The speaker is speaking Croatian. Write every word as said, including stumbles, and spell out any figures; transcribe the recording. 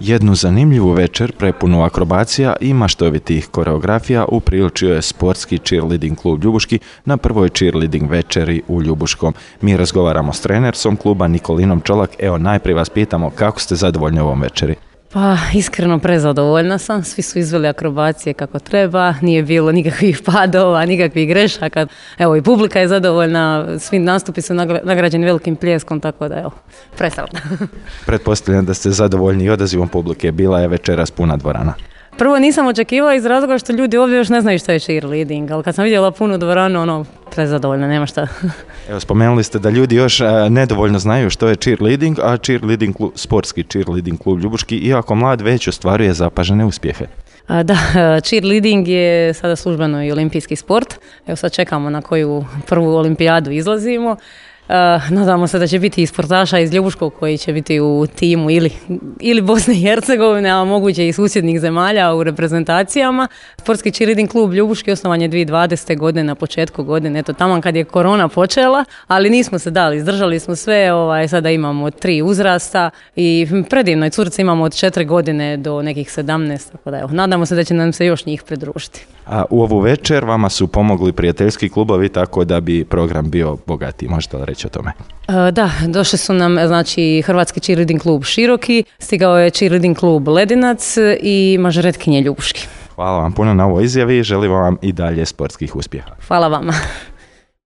Jednu zanimljivu večer prepunu akrobacija i maštovitih koreografija upriličio je sportski cheerleading klub Ljubuški na prvoj cheerleading večeri u Ljubuškom. Mi razgovaramo s trenersom kluba Nikolinom Čolak. Evo, najprije vas pitamo kako ste zadovoljni ovom večeri? Pa iskreno prezadovoljna sam, svi su izveli akrobacije kako treba, nije bilo nikakvih padova, nikakvih grešaka. Evo i publika je zadovoljna, svi nastupi su nagrađeni velikim pljeskom, tako da evo, presretna. Pretpostavljam da ste zadovoljni i odazivom publike, bila je večeras puna dvorana. Prvo nisam očekivala iz razloga što ljudi ovdje još ne znaju što je cheerleading, ali kad sam vidjela punu dvoranu, ono, prezadovoljna, nema šta. Evo, spomenuli ste da ljudi još a, nedovoljno znaju što je cheerleading, a cheerleading klub, sportski cheerleading klub Ljubuški, iako mlad, već ostvaruje zapažene uspjehe. A, da, cheerleading je sada službeno i olimpijski sport. Evo sad čekamo na koju prvu olimpijadu izlazimo. Uh, nadamo se da će biti i sportaša iz Ljubuškog koji će biti u timu ili, ili Bosne i Hercegovine, a moguće i susjednih zemalja u reprezentacijama. Sportski cheerleading klub Ljubuški osnovan je dvije tisuće dvadesete. godine, na početku godine, eto tamo kad je korona počela, ali nismo se dali, izdržali smo sve, ovaj, sada imamo tri uzrasta i predivno, i curice imamo od četiri godine do nekih sedamnaest, tako da evo, nadamo se da će nam se još njih pridružiti. A u ovu večer vama su pomogli prijateljski klubovi tako da bi program bio bogatiji, možete li reći o tome? E, da, došli su nam znači Hrvatski cheerleading klub Široki, stigao je cheerleading klub Ledinac i mažoretkinje Ljubuški. Hvala vam puno na ovoj izjavi i želim vam i dalje sportskih uspjeha. Hvala vama.